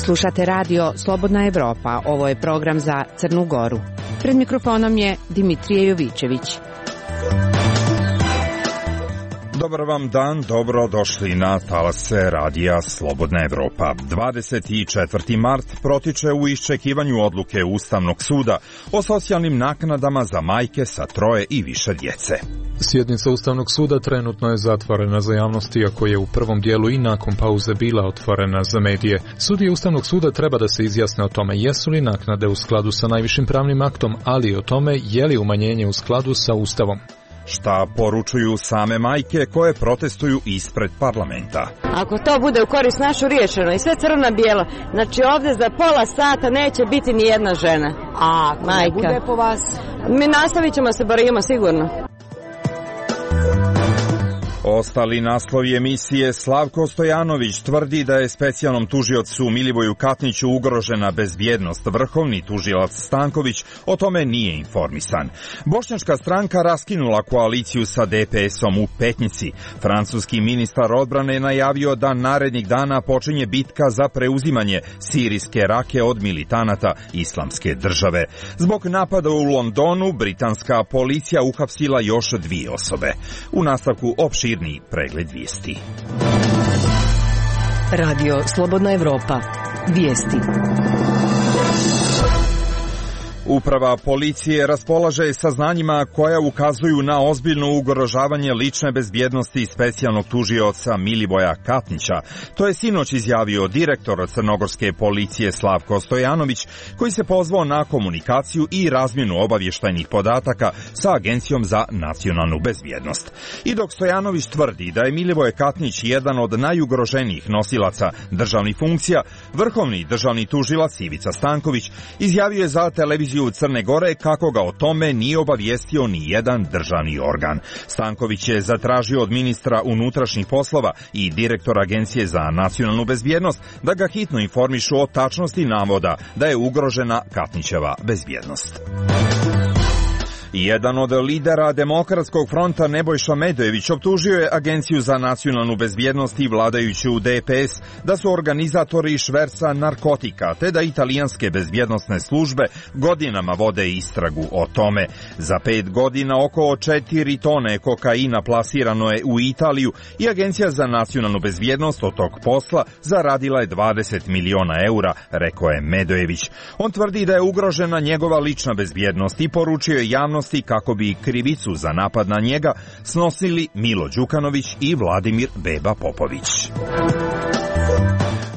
Slušate radio Slobodna Evropa, ovo je program za Crnu Goru. Pred mikrofonom je Dimitrije Jovićević. Dobar vam dan, dobro došli na talase radija Slobodna Evropa. 24. mart protiče u iščekivanju odluke Ustavnog suda o socijalnim naknadama za majke sa 3 i više djece. Sjednica Ustavnog suda trenutno je zatvorena za javnost, iako je u prvom dijelu i nakon pauze bila otvorena za medije. Sudije Ustavnog suda treba da se izjasne o tome jesu li naknade u skladu sa najvišim pravnim aktom, ali i o tome je li umanjenje u skladu sa Ustavom. Šta poručuju same majke koje protestuju ispred parlamenta? Ako to bude u korist našu riješeno i sve crno-bijelo, znači ovdje za pola sata neće biti ni jedna žena. A ako ne bude po vas? Mi nastavit ćemo se borimo sigurno. Ostali naslovi emisije: Slavko Stojanović tvrdi da je specijalnom tužiocu Milivoju Katniću ugrožena bezbjednost. Vrhovni tužilac Stanković o tome nije informisan. Bošnjačka stranka raskinula koaliciju sa DPS-om u Petnici. Francuski ministar odbrane je najavio da narednih dana počinje bitka za preuzimanje sirijske Rake od militanata Islamske države. Zbog napada u Londonu, britanska policija uhapsila još 2 osobe. U nastavku opširni pregled vijesti. Radio Slobodna Evropa. Vijesti. Uprava policije raspolaže saznanjima koja ukazuju na ozbiljno ugrožavanje lične bezbjednosti specijalnog tužioca Milivoja Katnića. To je sinoć izjavio direktor crnogorske policije Slavko Stojanović, koji se pozvao na komunikaciju i razmjenu obavještajnih podataka sa Agencijom za nacionalnu bezbjednost. I dok Stojanović tvrdi da je Milivoj Katnić jedan od najugroženijih nosilaca državnih funkcija, vrhovni državni tužilac Ivica Stanković izjavio je za televiziju Crne Gore kako ga o tome nije obavijestio ni jedan državni organ. Stanković je zatražio od ministra unutrašnjih poslova i direktora Agencije za nacionalnu bezbjednost da ga hitno informišu o tačnosti navoda da je ugrožena Katnićeva bezbjednost. Jedan od lidera Demokratskog fronta Nebojša Medojević optužio je Agenciju za nacionalnu bezbjednost i vladajuću DPS da su organizatori šverca narkotika, te da italijanske bezbjednosne službe godinama vode istragu o tome. Za 5 godina oko 4 tone kokaina plasirano je u Italiju i Agencija za nacionalnu bezbjednost od tog posla zaradila je 20 miliona eura, rekao je Medojević. On tvrdi da je ugrožena njegova lična bezbjednost i poručio je javnost kako bi krivicu za napad na njega snosili Milo Đukanović i Vladimir Beba Popović.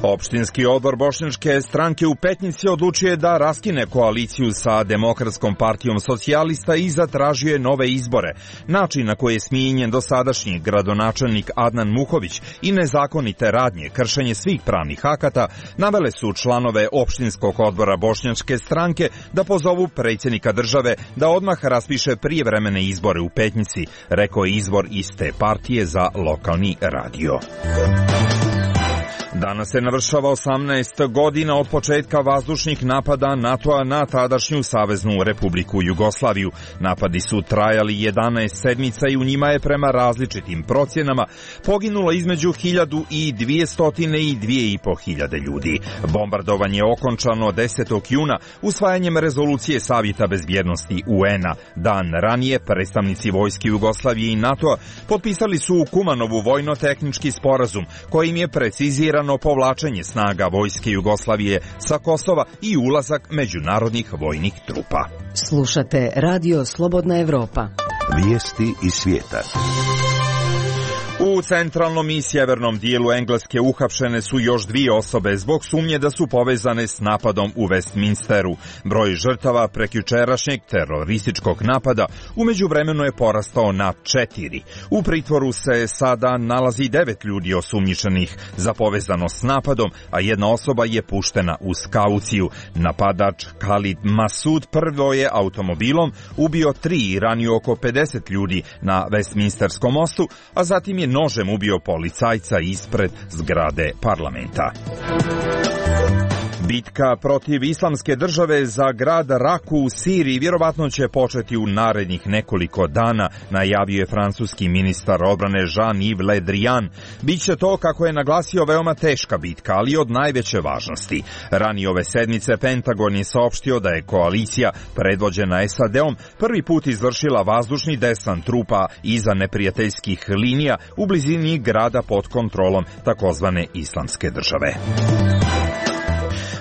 Opštinski odbor Bošnjačke stranke u Petnici odlučio je da raskine koaliciju sa Demokratskom partijom socijalista i zatražio je nove izbore. Način na koji je smijenjen dosadašnji gradonačelnik Adnan Muhović i nezakonite radnje, kršenje svih pravnih akata, navele su članove opštinskog odbora Bošnjačke stranke da pozovu predsjednika države da odmah raspiše prijevremene izbore u Petnici, rekao je izvor iste partije za lokalni radio. Danas se navršava 18 godina od početka vazdušnih napada NATO-a na tadašnju Saveznu Republiku Jugoslaviju. Napadi su trajali 11 sedmica i u njima je prema različitim procjenama poginulo između 1200 i 2500 ljudi. Bombardovanje je okončano 10. juna usvajanjem rezolucije Savjeta bezbjednosti UN-a. Dan ranije predstavnici vojske Jugoslavije i NATO-a potpisali su u Kumanovu vojno-tehnički sporazum kojim je precizirano povlačenje snaga vojske Jugoslavije sa Kosova i ulazak međunarodnih vojnih trupa. Slušate Radio Slobodna Evropa. Vijesti iz svijeta. U centralnom i sjevernom dijelu Engleske uhapšene su još 2 osobe zbog sumnje da su povezane s napadom u Westminsteru. Broj žrtava prekjučerašnjeg terorističkog napada u međuvremenu je porastao na 4. U pritvoru se sada nalazi 9 ljudi osumnjičenih za povezanost s napadom, a jedna osoba je puštena uz kauciju. Napadač Khalid Masud prvo je automobilom ubio 3 i ranio oko 50 ljudi na Westminsterskom mostu, a zatim je nožem ubio policajca ispred zgrade parlamenta. Bitka protiv islamske države za grad Raku u Siriji vjerovatno će početi u narednih nekoliko dana, najavio je francuski ministar odbrane Jean-Yves Le Drian. Biće to, kako je naglasio, veoma teška bitka, ali od najveće važnosti. Ranije ove sedmice Pentagon je saopštio da je koalicija predvođena SAD-om prvi put izvršila vazdušni desant trupa iza neprijateljskih linija u blizini grada pod kontrolom takozvane islamske države.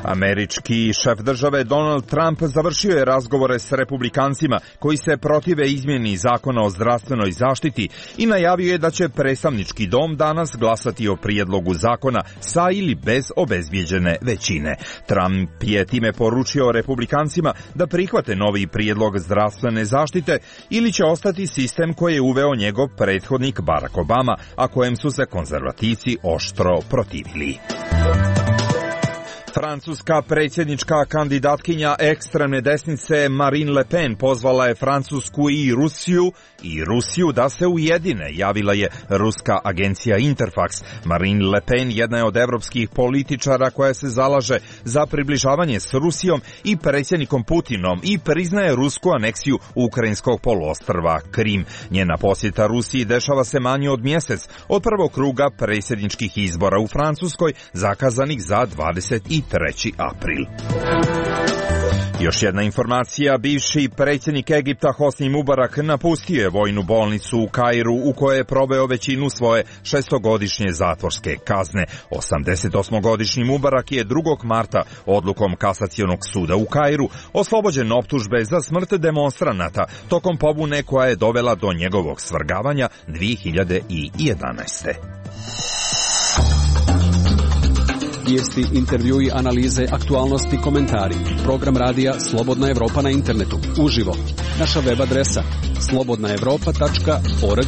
Američki šef države Donald Trump završio je razgovore s republikancima koji se protive izmjeni zakona o zdravstvenoj zaštiti i najavio je da će predstavnički dom danas glasati o prijedlogu zakona sa ili bez obezbijeđene većine. Trump je time poručio republikancima da prihvate novi prijedlog zdravstvene zaštite ili će ostati sistem koji je uveo njegov prethodnik Barack Obama, a kojem su se konzervativci oštro protivili. Francuska predsjednička kandidatkinja ekstremne desnice Marine Le Pen pozvala je Francusku i Rusiju da se ujedine, javila je ruska agencija Interfax. Marine Le Pen jedna je od evropskih političara koja se zalaže za približavanje s Rusijom i predsjednikom Putinom i priznaje rusku aneksiju ukrajinskog poluostrva Krim. Njena posjeta Rusiji dešava se manje od mjesec od prvog kruga predsjedničkih izbora u Francuskoj, zakazanih za 23. april. Još jedna informacija, bivši predsjednik Egipta Hosni Mubarak napustio je vojnu bolnicu u Kairu u kojoj je proveo većinu svoje 6-godišnje zatvorske kazne. 88-godišnji Mubarak je 2. marta odlukom Kasacionog suda u Kairu oslobođen optužbe za smrt demonstranata tokom pobune koja je dovela do njegovog svrgavanja 2011. Vijesti, intervjui, analize, aktualnosti, komentari. Program radija Slobodna Evropa na internetu. Uživo. Naša web adresa slobodnaevropa.org.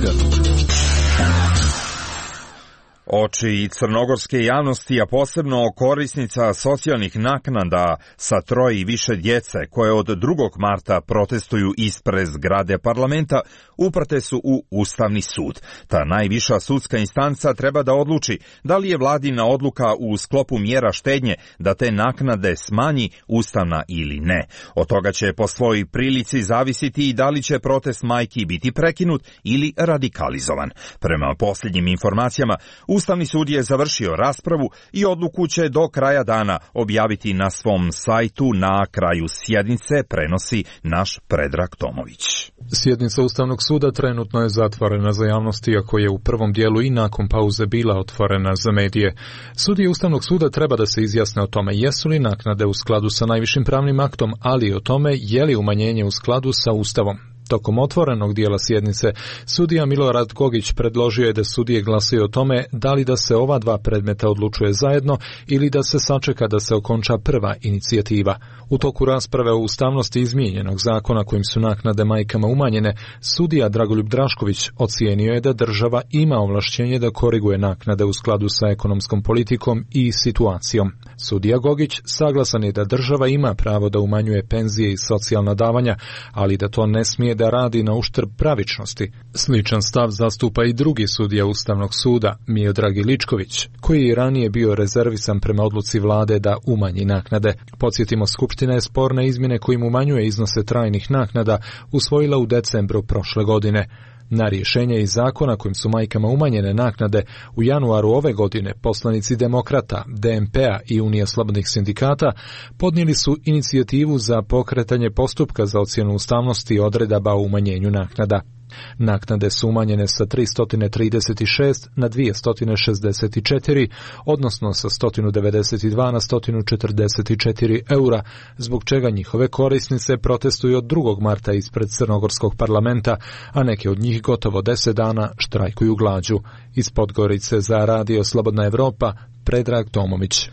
Oči crnogorske javnosti, a posebno korisnica socijalnih naknada sa 3 i više djece koje od 2. marta protestuju ispred zgrade parlamenta, uprte su u Ustavni sud. Ta najviša sudska instanca treba da odluči da li je vladina odluka u sklopu mjera štednje da te naknade smanji ustavna ili ne. Od toga će po svojoj prilici zavisiti i da li će protest majki biti prekinut ili radikalizovan. Prema posljednjim informacijama, Ustavni sud je završio raspravu i odluku će do kraja dana objaviti na svom sajtu. Na kraju sjednice prenosi naš Predrag Tomović. Sjednica Ustavnog suda trenutno je zatvorena za javnost, iako je u prvom dijelu i nakon pauze bila otvorena za medije. Sudije Ustavnog suda treba da se izjasne o tome jesu li naknade u skladu sa najvišim pravnim aktom, ali i o tome je li umanjenje u skladu sa Ustavom. Tokom otvorenog dijela sjednice, sudija Milorad Gogić predložio je da sudije glasaju o tome da li da se ova dva predmeta odlučuje zajedno ili da se sačeka da se okonča prva inicijativa. U toku rasprave o ustavnosti izmijenjenog zakona kojim su naknade majkama umanjene, sudija Dragoljub Drašković ocijenio je da država ima ovlašćenje da koriguje naknade u skladu sa ekonomskom politikom i situacijom. Sudija Gogić saglasan je da država ima pravo da umanjuje penzije i socijalna davanja, ali da to ne smije da radi na uštrb pravičnosti. Sličan stav zastupa i drugi sudija Ustavnog suda, Miodrag Iličković, koji je ranije bio rezervisan prema odluci vlade da umanji naknade. Podsjetimo, Skupština je sporne izmjene kojim umanjuje iznose trajnih naknada usvojila u decembru prošle godine. Na rješenje iz zakona kojim su majkama umanjene naknade u januaru ove godine poslanici Demokrata, DNP-a i Unije slobodnih sindikata podnijeli su inicijativu za pokretanje postupka za ocjenu ustavnosti odredaba o umanjenju naknada. Naknade su umanjene sa 336 na 264, odnosno sa 192 na 144 eura, zbog čega njihove korisnice protestuju od 2. marta ispred crnogorskog parlamenta, a neke od njih gotovo 10 dana štrajkuju glađu. Iz Podgorice za Radio Slobodna Evropa, Predrag Tomović.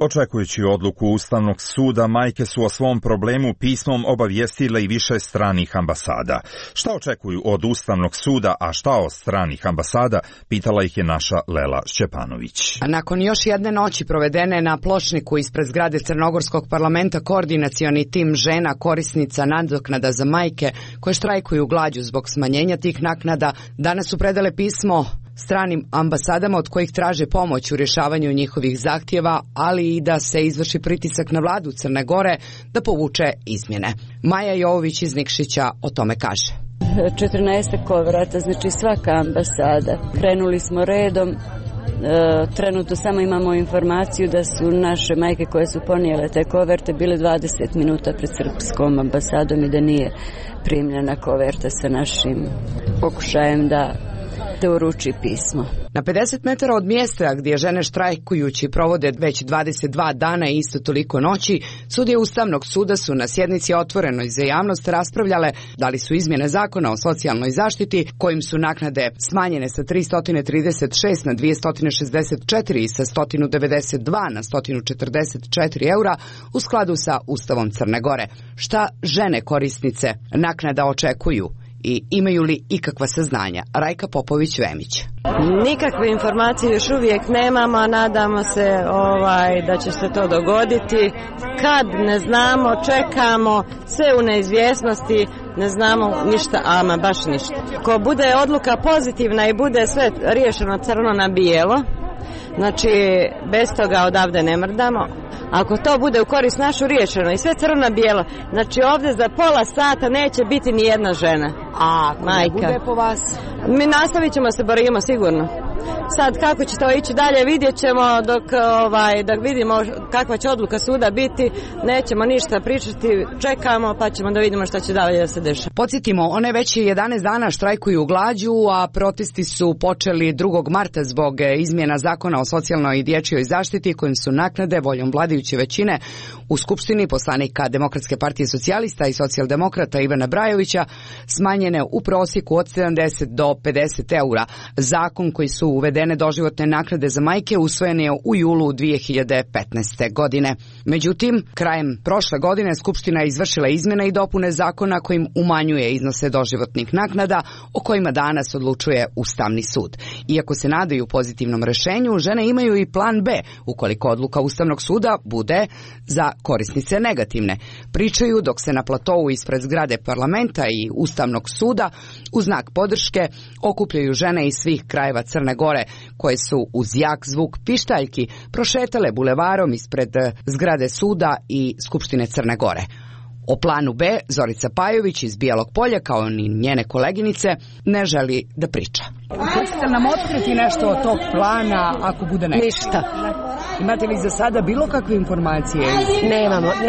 Očekujući odluku Ustavnog suda, majke su o svom problemu pismom obavijestile i više stranih ambasada. Šta očekuju od Ustavnog suda, a šta od stranih ambasada, pitala ih je naša Lela Šćepanović. Nakon još jedne noći provedene na pločniku ispred zgrade Crnogorskog parlamenta, koordinacioni tim žena korisnica nadoknada za majke koje štrajkuju glađu zbog smanjenja tih naknada danas su predale pismo stranim ambasadama od kojih traže pomoć u rješavanju njihovih zahtjeva, ali i da se izvrši pritisak na vladu Crne Gore da povuče izmjene. Maja Jovović iz Nikšića o tome kaže. 14 koverata, znači svaka ambasada. Krenuli smo redom. Trenutno samo imamo informaciju da su naše majke koje su ponijele te koverte bile 20 minuta pred srpskom ambasadom i da nije primljena koverta sa našim pokušajem da uruči pismo. Na 50 metara od mjesta gdje žene štrajkujući provode već 22 dana i isto toliko noći, sudije Ustavnog suda su na sjednici otvorenoj za javnost raspravljale da li su izmjene zakona o socijalnoj zaštiti, kojim su naknade smanjene sa 336 na 264 i sa 192 na 144 eura, u skladu sa Ustavom Crne Gore. Šta žene korisnice naknada očekuju i imaju li ikakva saznanja? Rajka Popović-Vemić. Nikakve informacije još uvijek nemamo, a nadamo se da će se to dogoditi. Kad ne znamo, čekamo, sve u neizvjesnosti, ne znamo ništa, ama baš ništa. Ko bude odluka pozitivna i bude sve riješeno crno na bijelo, znači bez toga odavde ne mrdamo. Ako to bude u korist našu riješeno i sve crno na bijelo, znači ovdje za pola sata neće biti ni jedna žena. A ako ne bude po vas? Mi nastavit ćemo se, borimo sigurno. Sad kako će to ići dalje vidjet ćemo dok vidimo kakva će odluka suda biti, nećemo ništa pričati, čekamo pa ćemo da vidimo šta će dalje da se dešava. Podsjetimo, one već 11 dana štrajkuju glađu, a protesti su počeli 2. marta zbog izmjena zakona o socijalnoj i dječjoj zaštiti kojim su naknade voljom vladajuće većine u Skupštini poslanika Demokratske partije socijalista i socijaldemokrata Ivana Brajovića smanjene u prosjeku od 70 do 50 eura. Zakon koji su uvedene doživotne naknade za majke usvojen je u julu 2015. godine. Međutim, krajem prošle godine Skupština je izvršila izmjene i dopune zakona kojim umanjuje iznose doživotnih naknada o kojima danas odlučuje Ustavni sud. Iako se nadaju pozitivnom rješenju, žene imaju i plan B ukoliko odluka Ustavnog suda bude za korisnice negativne. Pričaju dok se na platovu ispred zgrade parlamenta i Ustavnog suda u znak podrške okupljaju žene iz svih krajeva Crne Gore koje su uz jak zvuk pištaljki prošetale bulevarom ispred zgrade suda i Skupštine Crne Gore. O planu B Zorica Pajović iz Bijelog Polja, kao ni njene koleginice, ne želi da priča. Hoćete nam otkriti nešto od tog plana ako bude nešto? Ništa. Imate li za sada bilo kakve informacije?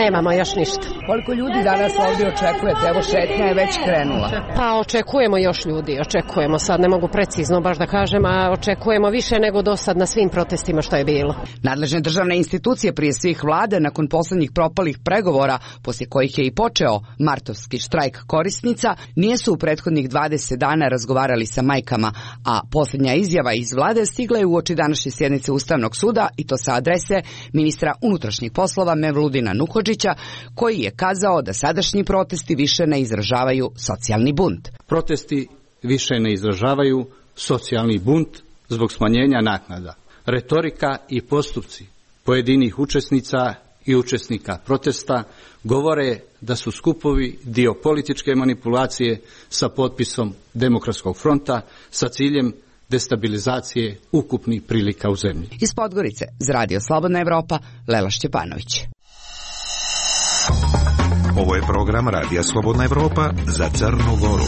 Nemamo još ništa. Koliko ljudi danas ovdje očekujete? Evo šetnja je već krenula. Pa očekujemo još ljudi, očekujemo. Sad ne mogu precizno baš da kažem, a očekujemo više nego do sad na svim protestima što je bilo. Nadležne državne institucije prije svih vlade nakon posljednjih propalih pregovora, poslije kojih je i počeo martovski štrajk korisnica, nisu u prethodnih 20 dana razgovarali sa majkama, a posljednja izjava iz vlade stigla je uoči današnje sjednice Ustavnog suda i to sa adrese ministra unutrašnjih poslova Mevludina Nuhodžića, koji je kazao da sadašnji protesti više ne izražavaju socijalni bunt. Protesti više ne izražavaju socijalni bunt zbog smanjenja naknada. Retorika i postupci pojedinih učesnica i učesnika protesta govore da su skupovi dio političke manipulacije sa potpisom Demokratskog fronta sa ciljem destabilizacije ukupnih prilika u zemlji. Iz Podgorice, za Radio Slobodna Evropa, Lela Šćepanović. Ovo je program Radija Slobodna Evropa za Crnu Goru.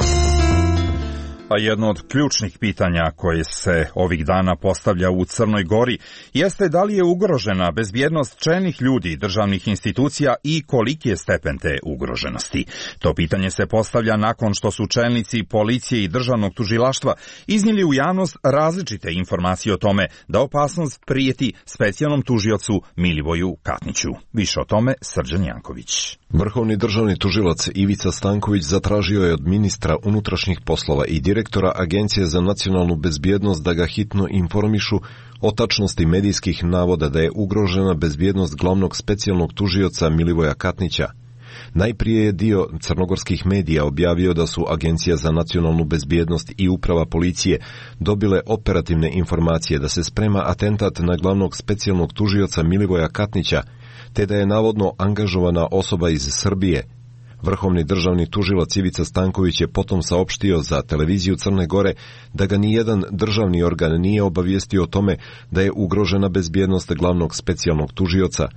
A jedno od ključnih pitanja koje se ovih dana postavlja u Crnoj Gori jeste da li je ugrožena bezbjednost čelnih ljudi, državnih institucija i koliki je stepen te ugroženosti. To pitanje se postavlja nakon što su čelnici policije i državnog tužilaštva iznijeli u javnost različite informacije o tome da opasnost prijeti specijalnom tužiocu Milivoju Katniću. Više o tome Srđan Janković. Vrhovni državni tužilac Ivica Stanković zatražio je od ministra unutrašnjih poslova i direktora Agencije za nacionalnu bezbjednost da ga hitno informišu o tačnosti medijskih navoda da je ugrožena bezbjednost glavnog specijalnog tužioca Milivoja Katnića. Najprije je dio crnogorskih medija objavio da su Agencija za nacionalnu bezbjednost i uprava policije dobile operativne informacije da se sprema atentat na glavnog specijalnog tužioca Milivoja Katnića, te da je navodno angažovana osoba iz Srbije. Vrhovni državni tužilac Ivica Stanković je potom saopštio za televiziju Crne Gore da ga nijedan državni organ nije obavijestio o tome da je ugrožena bezbjednost glavnog specijalnog tužioca.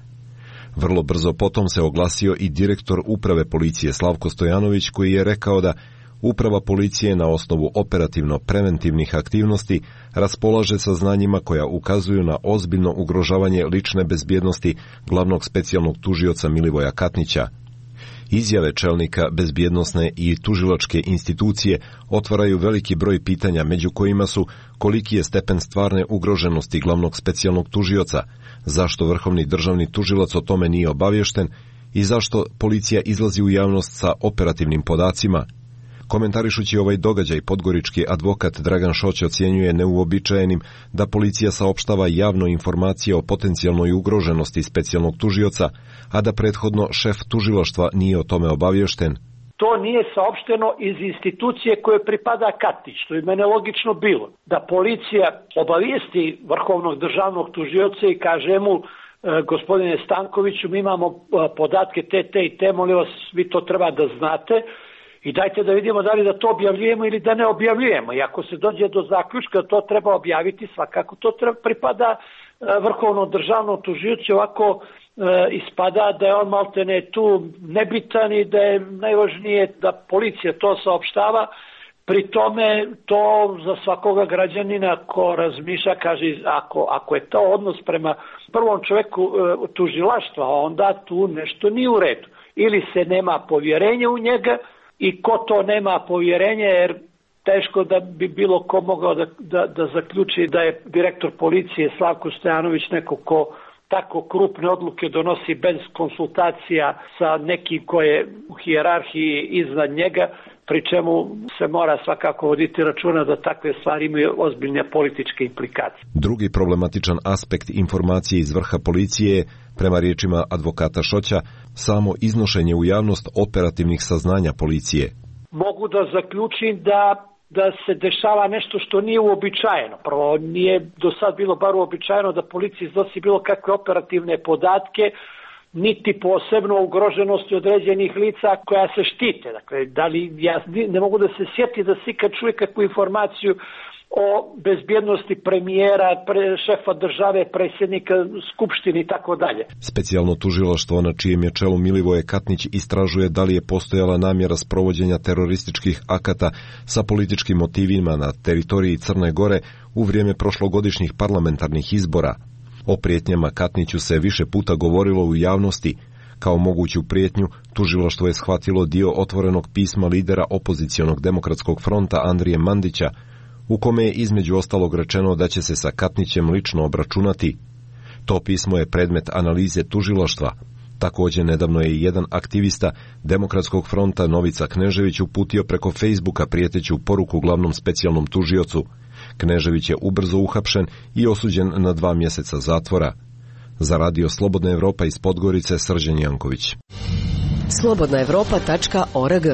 Vrlo brzo potom se oglasio i direktor uprave policije Slavko Stojanović, koji je rekao da uprava policije na osnovu operativno-preventivnih aktivnosti raspolaže saznanjima koja ukazuju na ozbiljno ugrožavanje lične bezbjednosti glavnog specijalnog tužioca Milivoja Katnića. Izjave čelnika bezbjednosne i tužilačke institucije otvaraju veliki broj pitanja, među kojima su koliki je stepen stvarne ugroženosti glavnog specijalnog tužioca, zašto vrhovni državni tužilac o tome nije obaviješten i zašto policija izlazi u javnost sa operativnim podacima. Komentarišući ovaj događaj, podgorički advokat Dragan Šoć ocjenjuje neuobičajenim da policija saopštava javno informacije o potencijalnoj ugroženosti specijalnog tužioca, a da prethodno šef tužilaštva nije o tome obaviješten. To nije saopšteno iz institucije koje pripada Katnić, što je mene logično bilo. Da policija obavijesti vrhovnog državnog tužioca i kaže mu, gospodine Stankoviću, mi imamo podatke te i te, molim vas, vi to treba da znate, i dajte da vidimo da li da to objavljujemo ili da ne objavljujemo. I ako se dođe do zaključka da to treba objaviti, svakako to pripada vrhovnom državnom tužiocu, ovako ispada da je on maltene tu nebitan i da je najvažnije da policija to saopštava. Pri tome to za svakoga građanina ko razmišlja, kaže, ako je to odnos prema prvom čoveku tužilaštva, onda tu nešto nije u redu. Ili se nema povjerenja u njega, i ko to nema povjerenje, jer teško da bi bilo ko mogao da zaključi da je direktor policije Slavko Stojanović neko ko tako krupne odluke donosi bez konsultacija sa nekim ko je u hijerarhiji iznad njega, pri čemu se mora svakako voditi računa da takve stvari imaju ozbiljne političke implikacije. Drugi problematičan aspekt informacije iz vrha policije je, prema riječima advokata Šoća, samo iznošenje u javnost operativnih saznanja policije. Mogu da zaključim da se dešava nešto što nije uobičajeno. Prvo, nije do sad bilo bar uobičajeno da policija iznosi bilo kakve operativne podatke, niti posebno ugroženosti određenih lica koja se štite. Dakle, ja ne mogu da se sjeti da se ikad čuje kakvu informaciju o bezbjednosti premijera, šefa države, predsjednika skupštine i tako dalje. Specijalno tužilaštvo na čijem je čelu Milivoje Katnić istražuje da li je postojala namjera sprovođenja terorističkih akata sa političkim motivima na teritoriji Crne Gore u vrijeme prošlogodišnjih parlamentarnih izbora. O prijetnjama Katniću se više puta govorilo u javnosti. Kao moguću prijetnju, tužilaštvo je shvatilo dio otvorenog pisma lidera opozicionog demokratskog fronta Andrije Mandića, u kome je između ostalog rečeno da će se sa Katnićem lično obračunati. To pismo je predmet analize tužilaštva. Također nedavno je jedan aktivista Demokratskog fronta Novica Knežević uputio preko Facebooka prijeteću poruku glavnom specijalnom tužiocu. Knežević je ubrzo uhapšen i osuđen na 2 mjeseca zatvora. Za Radio Slobodna Evropa iz Podgorice, Srđan Janković. slobodnaevropa.org.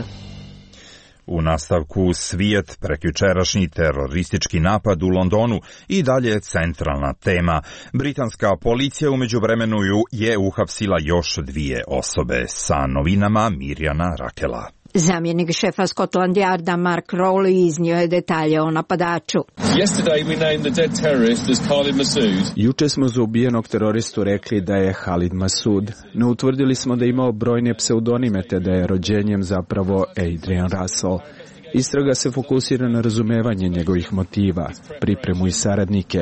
U nastavku svijet, prekjučerašnji teroristički napad u Londonu i dalje centralna tema. Britanska policija u međuvremenu je uhapsila još 2 osobe. Sa novinama Mirjana Rakela. Zamjenik šefa Scotland Yarda Mark Rowley iznio je detalje o napadaču. Juče smo za ubijenog teroristu rekli da je Khalid Masood, no utvrdili smo da je imao brojne pseudonime te da je rođenjem zapravo Adrian Russell. Istraga se fokusira na razumevanje njegovih motiva, pripremu i saradnike.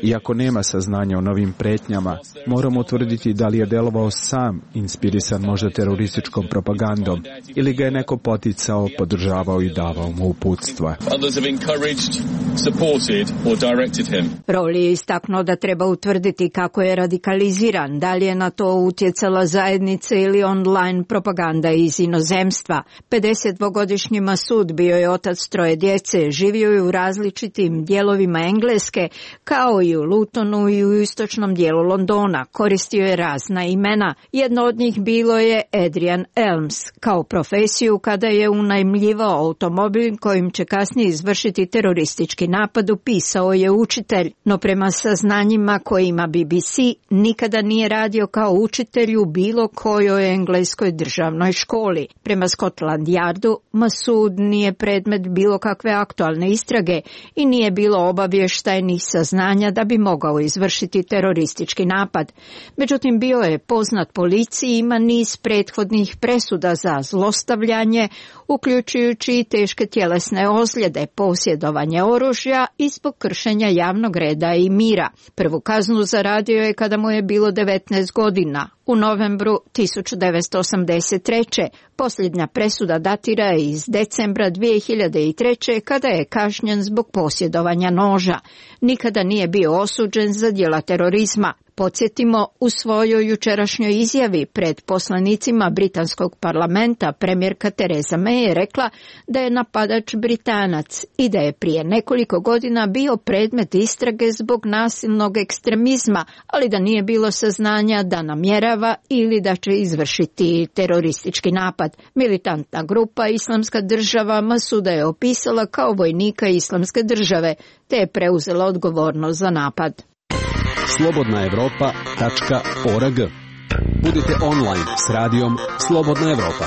Iako nema saznanja o novim pretnjama, moramo utvrditi da li je delovao sam, inspirisan možda terorističkom propagandom, ili ga je neko poticao, podržavao i davao mu uputstva. Rowley je istaknuo da treba utvrditi kako je radikaliziran, da li je na to utjecala zajednica ili online propaganda iz inozemstva. 52-godišnji Masood bio Bio je otac 3 djece, živio je u različitim dijelovima Engleske, kao i u Lutonu i u istočnom dijelu Londona. Koristio je razna imena. Jedno od njih bilo je Adrian Elms. Kao profesiju, kada je unajmljivao automobil kojim će kasnije izvršiti teroristički napad, upisao je učitelj. No prema saznanjima koje ima BBC, nikada nije radio kao učitelj u bilo kojoj engleskoj državnoj školi. Prema Scotland Yardu, Masood nije predmet bilo kakve aktualne istrage i nije bilo obavještajnih saznanja da bi mogao izvršiti teroristički napad. Međutim, bio je poznat policiji, ima niz prethodnih presuda za zlostavljanje, uključujući i teške tjelesne ozljede, posjedovanje oružja i zbog kršenja javnog reda i mira. Prvu kaznu zaradio je kada mu je bilo 19 godina. U novembru 1983. Posljednja presuda datira iz decembra 2003. kada je kažnjen zbog posjedovanja noža. Nikada nije bio osuđen za djela terorizma. Podsjetimo, u svojoj jučerašnjoj izjavi pred poslanicima britanskog parlamenta premijerka Theresa May je rekla da je napadač Britanac i da je prije nekoliko godina bio predmet istrage zbog nasilnog ekstremizma, ali da nije bilo saznanja da namjerava ili da će izvršiti teroristički napad. Militantna grupa Islamska država Masuda je opisala kao vojnika Islamske države, te je preuzela odgovornost za napad. slobodnaevropa.org. Budite online s radijom Slobodna Evropa.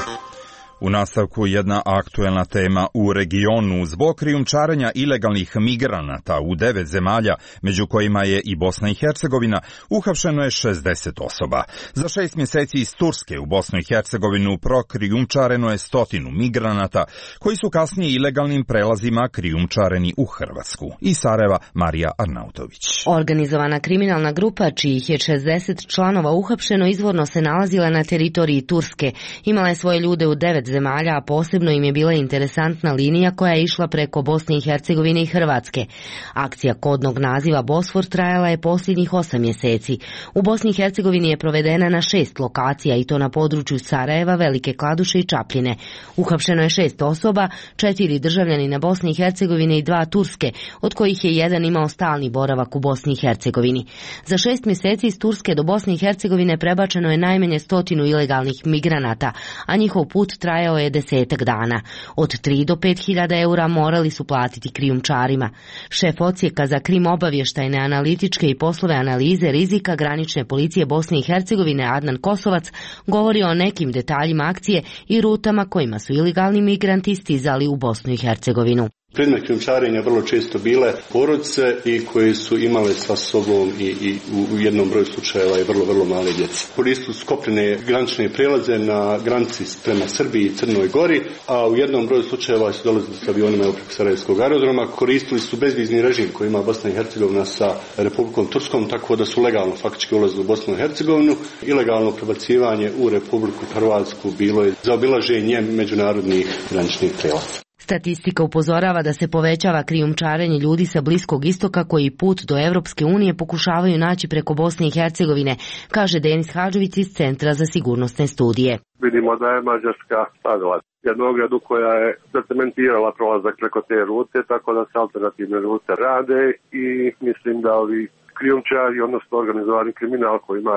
U nastavku jedna aktuelna tema u regionu. Zbog krijumčarenja ilegalnih migranata u 9 zemalja, među kojima je i Bosna i Hercegovina, uhapšeno je 60 osoba. Za 6 mjeseci iz Turske u Bosnu i Hercegovinu prokrijumčareno je 100 migranata, koji su kasnije ilegalnim prelazima krijumčareni u Hrvatsku. Iz Sarajeva, Marija Arnautović. Organizovana kriminalna grupa, čijih je 60 članova uhapšeno, izvorno se nalazila na teritoriji Turske. Imala je svoje ljude u 9 zemalja, a posebno im je bila interesantna linija koja je išla preko Bosne i Hercegovine i Hrvatske. Akcija kodnog naziva Bosfor trajala je posljednjih 8 mjeseci. U Bosni i Hercegovini je provedena na 6 lokacija, i to na području Sarajeva, Velike Kladuše i Čapljine. Uhapšeno je 6 osoba, 4 državljanina Bosne i Hercegovine i 2 Turske, od kojih je jedan imao stalni boravak u Bosni i Hercegovini. Za 6 mjeseci iz Turske do Bosne i Hercegovine prebačeno je najmanje 100 ilegalnih migranata, a njihov put trajao je 10 dana. Od 3 do 5.000 eura morali su platiti krijumčarima. Šef odsjeka za krim obavještajne, analitičke i poslove analize rizika granične policije Bosne i Hercegovine Adnan Kosovac govori o nekim detaljima akcije i rutama kojima su ilegalni migranti stizali u Bosnu i Hercegovinu. Predmet krijumčarenja vrlo često bile porodice i koje su imale sa sobom i u jednom broju slučajeva i vrlo male djece. Koristili su kopnene granične prelaze na granici prema Srbiji i Crnoj Gori, a u jednom broju slučajeva su dolazili s avionima preko Sarajevskog aerodroma. Koristili su bezvizni režim koji ima Bosna i Hercegovina sa Republikom Turskom, tako da su legalno faktički ulazili u Bosnu i Hercegovinu. Ilegalno prebacivanje u Republiku Hrvatsku bilo je zaobilaženje međunarodnih graničnih prelaza. Statistika upozorava da se povećava krijumčarenje ljudi sa Bliskog istoka koji put do Europske unije pokušavaju naći preko Bosne i Hercegovine, kaže Denis Hadžović iz Centra za sigurnosne studije. Vidimo da je Mađarska stavila jednu ogradu koja je zacementirala prolazak preko te rute, tako da se alternativne rute rade i mislim da ovi krijumčari, odnosno organizovani kriminal koji ima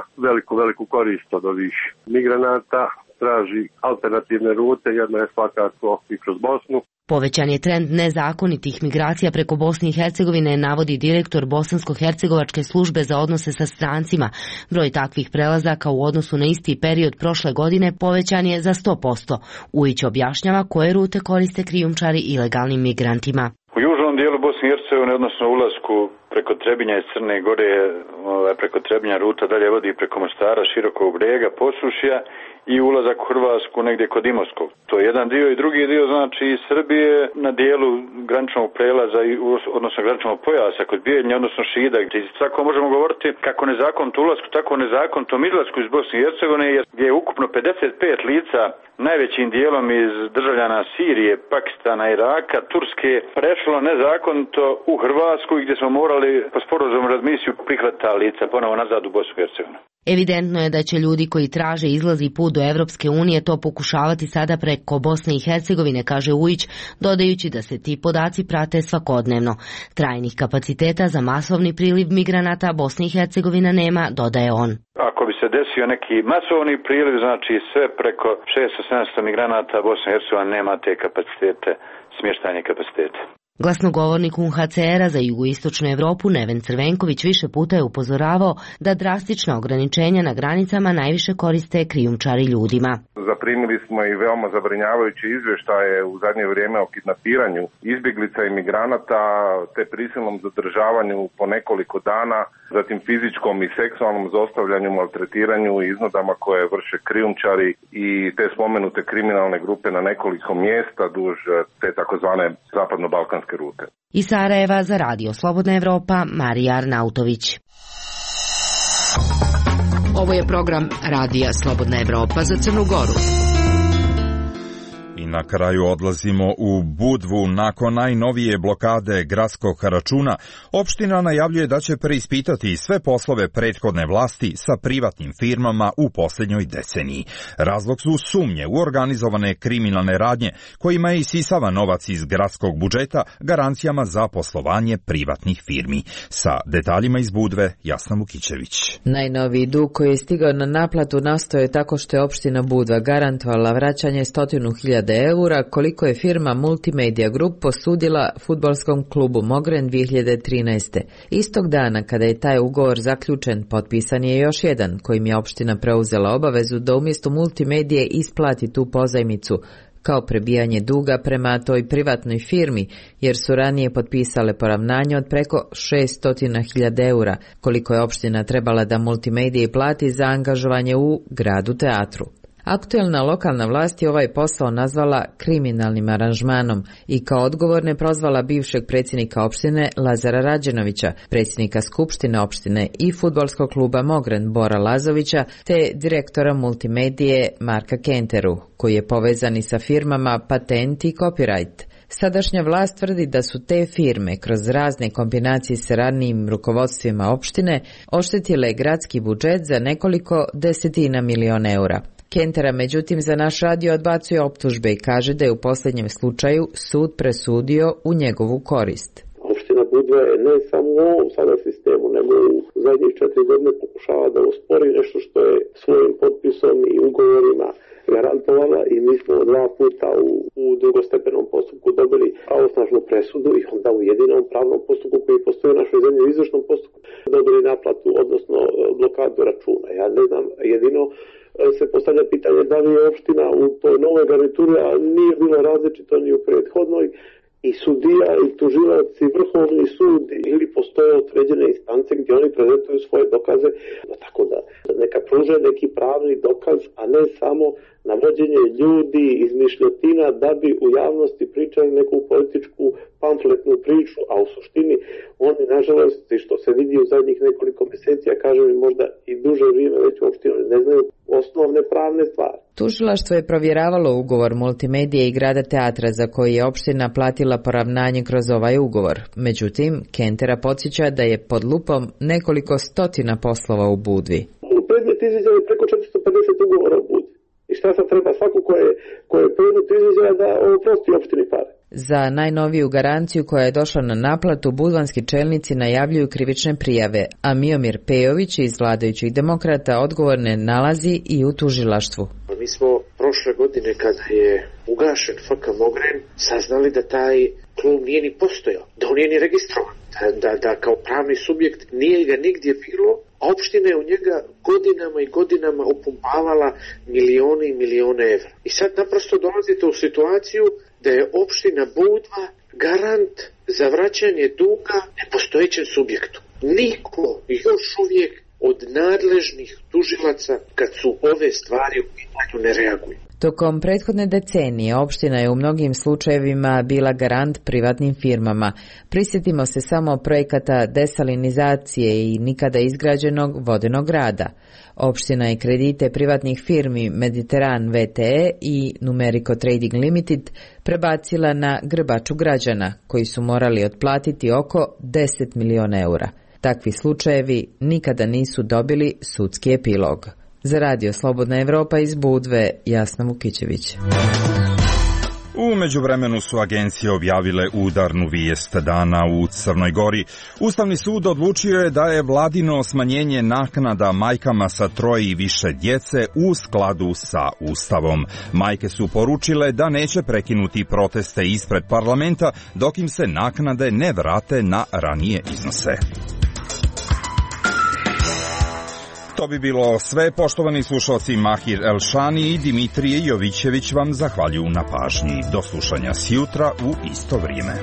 veliku korist od ovih migranata, traži alternativne rute, jedna je svakako i kroz Bosnu. Povećan je trend nezakonitih migracija preko Bosne i Hercegovine, navodi direktor Bosansko-hercegovačke službe za odnose sa strancima. Broj takvih prelazaka u odnosu na isti period prošle godine povećan je za 100%. Ujić objašnjava koje rute koriste krijumčari ilegalnim migrantima. U južnom dijelu Bosne i Hercegovine, odnosno ulasku preko Trebinja iz Crne Gore, preko Trebinja ruta dalje vodi preko Mostara, Širokog Brijega, Posušja i ulazak u Hrvatsku negdje kod Imotskog. To je jedan dio i drugi dio znači iz Srbije na dijelu graničnog prelaza, odnosno graničnog pojasa kod Bijeljnja, odnosno Šida. Tako možemo govoriti kako nezakonito ulasku, tako nezakonitom izlasku iz Bosne i Hercegovine, gdje je ukupno 55 lica, najvećim dijelom iz državljana Sirije, Pakistana, Iraka, Turske, prešlo nezakonito u Hrvatsku, gdje smo morali po sporazumu razmisiju prihvatiti ta lica ponovo nazad u Bosnu i Hercegovinu. Evidentno je da će ljudi koji traže izlaz i put do Evropske unije to pokušavati sada preko Bosne i Hercegovine, kaže Ujić, dodajući da se ti podaci prate svakodnevno. Trajnih kapaciteta za masovni priliv migranata Bosne i Hercegovina nema, dodaje on. Ako bi se desio neki masovni priliv, znači sve preko 600-700 migranata Bosna i Hercegovina nema te kapacitete, smještajne kapacitete. Glasnogovornik UNHCR-a za jugoistočnu Evropu Neven Crvenković više puta je upozoravao da drastična ograničenja na granicama najviše koriste krijumčari ljudima. Zaprimili smo i veoma zabrinjavajuće izvještaje u zadnje vrijeme o kidnapiranju izbjeglica i migranata, te prisilnom zadržavanju po nekoliko dana, zatim fizičkom i seksualnom zlostavljanju, maltretiranju i iznudama koje vrše krijumčari i te spomenute kriminalne grupe na nekoliko mjesta duž te takozvane zapadno-balkanske rute. Iz Sarajeva za Radio Slobodna Evropa, Marija Arnautović. Ovo je program Radija Slobodna Evropa za Crnu Goru. I na kraju odlazimo u Budvu. Nakon najnovije blokade gradskog računa, opština najavljuje da će preispitati sve poslove prethodne vlasti sa privatnim firmama u posljednjoj deceniji. Razlog su sumnje u organizovane kriminalne radnje kojima je isisava novac iz gradskog budžeta garancijama za poslovanje privatnih firmi. Sa detaljima iz Budve, Jasna Vukićević. Najnoviji dug koji je stigao na naplatu nastao je tako što je opština Budva garantovala vraćanje 100.000 eura koliko je firma Multimedia Group posudila fudbalskom klubu Mogren 2013. Istog dana kada je taj ugovor zaključen, potpisan je još jedan kojim je opština preuzela obavezu da umjesto Multimedije isplati tu pozajmicu kao prebijanje duga prema toj privatnoj firmi, jer su ranije potpisale poravnanje od preko 600.000 eura, koliko je opština trebala da Multimediji plati za angažovanje u gradu teatru. Aktuelna lokalna vlast je ovaj posao nazvala kriminalnim aranžmanom i kao odgovorne prozvala bivšeg predsjednika opštine Lazara Rađenovića, predsjednika skupštine opštine i fudbalskog kluba Mogren Bora Lazovića, te direktora Multimedije Marka Kenteru, koji je povezan i sa firmama Patent i Copyright. Sadašnja vlast tvrdi da su te firme kroz razne kombinacije s ranijim rukovodstvima opštine oštetile gradski budžet za nekoliko desetina miliona eura. Kentera, međutim, za naš radio odbacuje optužbe i kaže da je u posljednjem slučaju sud presudio u njegovu korist. Opština Budva je ne samo u ovom sada sistemu, nego u zadnjih 4 godine pokušava da uspori nešto što je svojim potpisom i ugovorima garantovala i mi smo 2 puta u drugostepenom postupku dobili pravosnažnu presudu i onda u jedinom pravnom postupku koji postoji u našoj zemlji u izvršnom postupku dobili naplatu, odnosno blokadu računa. Ja ne znam, jedino se postavlja pitanje da li je opština u toj novoj garnituri, a nije bilo različito ni u prethodnoj, i sudija i tužilac i vrhovni sud ili postoje određene instance gdje oni prezentuju svoje dokaze, tako da neka pruže neki pravni dokaz, a ne samo navođenje ljudi, izmišljotina da bi u javnosti pričali neku političku pamfletnu priču, a u suštini oni, nažalost, što se vidi u zadnjih nekoliko mjeseci, a kažem i možda i duže vrijeme već uopšte ne znaju osnovne pravne stvari. Tužilaštvo je provjeravalo ugovor Multimedije i grada teatra za koji je opština platila poravnanje kroz ovaj ugovor. Međutim, Kentera podsjeća da je pod lupom nekoliko stotina poslova u Budvi. U predmet izviđaju preko 450 ugovora u Budvi. I šta sad treba svako ko je predmet izviđaja da oprosti opštini pare? Za najnoviju garanciju koja je došla na naplatu, budvanski čelnici najavljuju krivične prijave, a Miomir Pejović iz vladajućih demokrata odgovorne nalazi i u tužilaštvu. Mi smo prošle godine kada je ugašen FK Mogren saznali da taj klub nije ni postojao, da on nije ni registrovan, da kao pravni subjekt nije ga nigdje bilo, a opština je u njega godinama i godinama upumpavala milione i milione evra. I sad naprosto dolazite u situaciju da je opština Budva garant za vraćanje duga nepostojećem subjektu. Niko još uvijek od nadležnih tužilaca kad su ove stvari u pitanju ne reaguju. Tokom prethodne decenije opština je u mnogim slučajevima bila garant privatnim firmama. Prisjetimo se samo projekata desalinizacije i nikada izgrađenog vodenog rada. Opština je kredite privatnih firmi Mediteran VTE i Numerico Trading Limited prebacila na grbaču građana, koji su morali otplatiti oko 10 miliona eura. Takvi slučajevi nikada nisu dobili sudski epilog. Za Radio Slobodna Evropa iz Budve, Jasna Vukićević. U međuvremenu su agencije objavile udarnu vijest dana u Crnoj Gori. Ustavni sud odlučio je da je vladino smanjenje naknada majkama sa 3 i više djece u skladu sa Ustavom. Majke su poručile da neće prekinuti proteste ispred parlamenta dok im se naknade ne vrate na ranije iznose. To bi bilo sve, poštovani slušalci. Mahir Elšani i Dimitrije Jovićević vam zahvaljuju na pažnji. Do slušanja sjutra u isto vrijeme.